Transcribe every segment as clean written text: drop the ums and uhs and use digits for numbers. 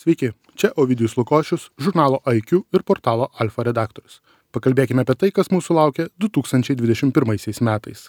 Sveiki, čia Ovidijus Lukošius, žurnalo IQ ir portalo Alfa redaktorius. Pakalbėkime apie tai, kas mūsų laukia 2021 metais.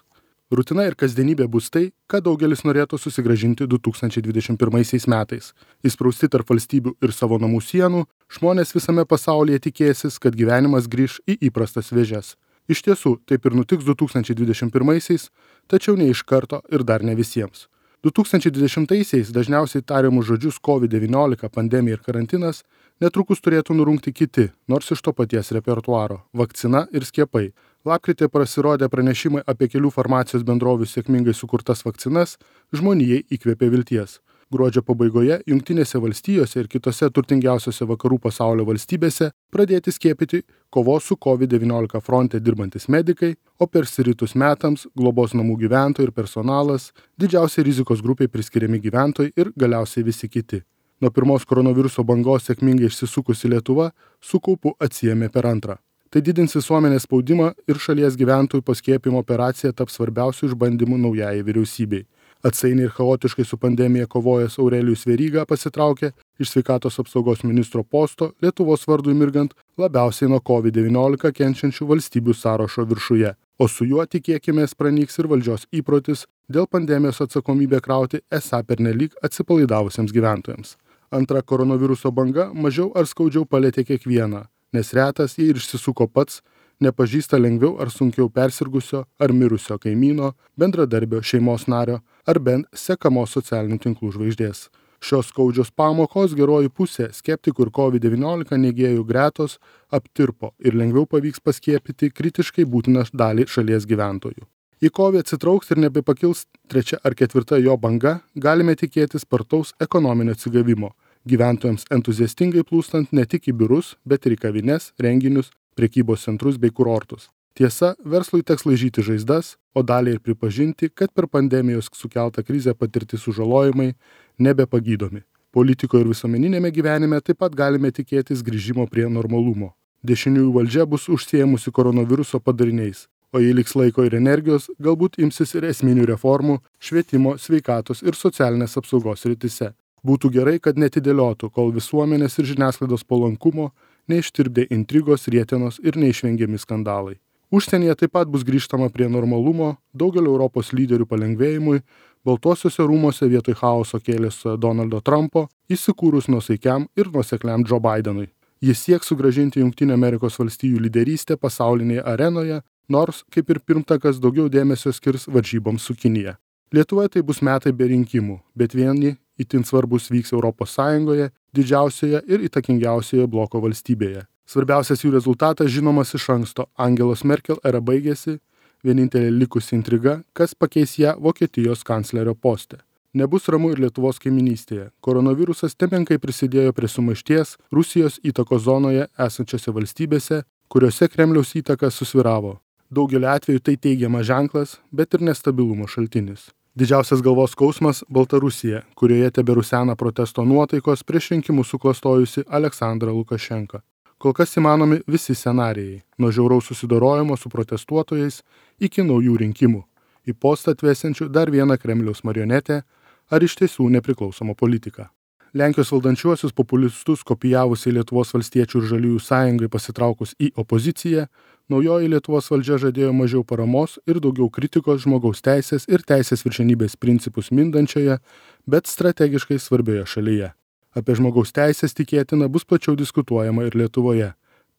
Rutina ir kasdienybė bus tai, ką daugelis norėtų susigrąžinti 2021 metais. Įsprausti tarp valstybių ir savo namų sienų, žmonės visame pasaulyje tikėsis, kad gyvenimas grįš į įprastas vėžes. Iš tiesų, taip ir nutiks 2021, tačiau ne iš karto ir dar ne visiems. 2020-aisiais dažniausiai tariamus žodžius COVID-19, pandemija ir karantinas netrukus turėtų nurungti kiti, nors iš to paties repertuaro – vakcina ir skiepai. Lapkritį pasirodė pranešimai apie kelių farmacijos bendrovių sėkmingai sukurtas vakcinas, žmonijai įkvėpė vilties. Gruodžio pabaigoje Jungtinėse valstijose ir kitose turtingiausiose vakarų pasaulio valstybėse pradėti skiepyti kovos su COVID-19 fronte dirbantis medikai, o persiritus metams globos namų gyventojai ir personalas, didžiausiai rizikos grupiai priskiriami gyventojai ir galiausiai visi kiti. Nuo pirmos koronaviruso bangos sėkmingai išsisukusi Lietuva su kaupu atsiėmė per antrą. Tai didins visuomenės spaudimą ir šalies gyventojų paskiepimo operacija taps svarbiausių išbandymų naujajai vyriausybei. Atsainiai ir chaotiškai su pandemija kovojęs Aurelijus Veryga pasitraukė iš sveikatos apsaugos ministro posto Lietuvos vardui mirgant labiausiai nuo COVID-19 kenčiančių valstybių sąrašo viršuje, o su juo tikėkimės pranyks ir valdžios įprotis dėl pandemijos atsakomybę krauti esą pernelyg atsipalaidavusiems gyventojams. Antra koronaviruso banga mažiau ar skaudžiau palietė kiekvieną, nes retas jį ir išsisuko pats, nepažįsta lengviau ar sunkiau persirgusio ar mirusio kaimyno, bendradarbio, šeimos nario ar bent sekamos socialinių tinklų žvaigždės. Šios skaudžios pamokos geroji pusė skeptikų ir COVID-19 neigėjų gretos aptirpo ir lengviau pavyks paskiepyti kritiškai būtiną dalį šalies gyventojų. Į COVID atsitrauks ir nebepakils trečia ar ketvirta jo banga, galime tikėtis spartaus ekonominio atsigavimo, gyventojams entuziastingai plūstant ne tik į biurus, bet ir į kavines, renginius, prekybos centrus bei kurortus. Tiesa, verslui teks laižyti žaizdas, o daliai ir pripažinti, kad per pandemijos sukeltą krizę patirti sužalojimai nebepagydomi. Politikoje ir visuomeninėme gyvenime taip pat galime tikėtis grįžimo prie normalumo. Dešiniųjų valdžia bus užsiėmusi koronaviruso padariniais, o jei liks laiko ir energijos, galbūt imsis ir esminių reformų švietimo, sveikatos ir socialinės apsaugos srityse. Būtų gerai, kad netidėliotų, kol visuomenės ir žiniasklaidos palankumo neištirpdė intrigos, rietenos ir neišvengiami skandalai. Užsienyje taip pat bus grįžtama prie normalumo, daugelio Europos lyderių palengvėjimui, Baltuosiuose rūmuose vietoj chaoso kėlės Donaldo Trumpo, įsikūrus nuosaikiam ir nuosekliam Joe Bidenui. Jis sieks sugrąžinti Jungtinių Amerikos valstijų lyderystę pasaulinėje arenoje, nors, kaip ir pirmtakas, daugiau dėmesio skirs varžyboms su Kinija. Lietuvoje tai bus metai be rinkimų, bet vieni itin svarbus vyks Europos Sąjungoje, didžiausioje ir įtakingiausioje bloko valstybėje. Svarbiausias jų rezultatas žinomas iš anksto. Angelos Merkel era baigėsi, vienintelė likusi intriga, kas pakeis ją Vokietijos kanclerio poste. Nebus ramu ir Lietuvos kaiminystėje. Koronavirusas nemenkai prisidėjo prie sumaišties Rusijos įtakos zonoje esančiose valstybėse, kuriuose Kremliaus įtaka susvyravo. Daugelio atveju tai teigiamas ženklas, bet ir nestabilumo šaltinis. Didžiausias galvos skausmas – Baltarusija, kurioje teberusena protesto nuotaikos prieš rinkimus suklastojusi Aleksandrą Lukašenką. Kol kas įmanomi visi scenarijai, nuo žiauraus susidorojimo su protestuotojais iki naujų rinkimų, į postą atvesiančių dar vieną Kremliaus marionetę ar iš tiesų nepriklausomą politiką. Lenkijos valdančiuosius populistus kopijavusiai Lietuvos valstiečių ir žaliųjų sąjungai pasitraukus į opoziciją, naujoji Lietuvos valdžia žadėjo mažiau paramos ir daugiau kritikos žmogaus teisės ir teisės viršenybės principus mindančioje, bet strategiškai svarbioje šalyje. Apie žmogaus teisės tikėtina bus plačiau diskutuojama ir Lietuvoje.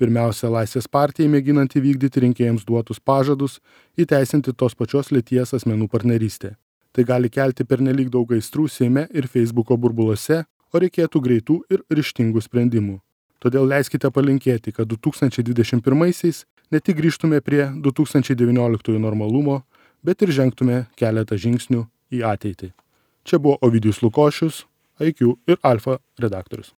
Pirmiausia, Laisvės partijai mėginant įvykdyti rinkėjams duotus pažadus, įteisinti tos pačios lyties asmenų partnerystę. Tai gali kelti pernelyg daug aistrų Seime ir Facebooko burbuluose, o reikėtų greitų ir ryžtingų sprendimų. Todėl leiskite palinkėti, kad 2021 ne tik grįžtume prie 2019 normalumo, bet ir žengtume keletą žingsnių į ateitį. Čia buvo Ovidijus Lukošius, IQ ir Alfa redaktorius.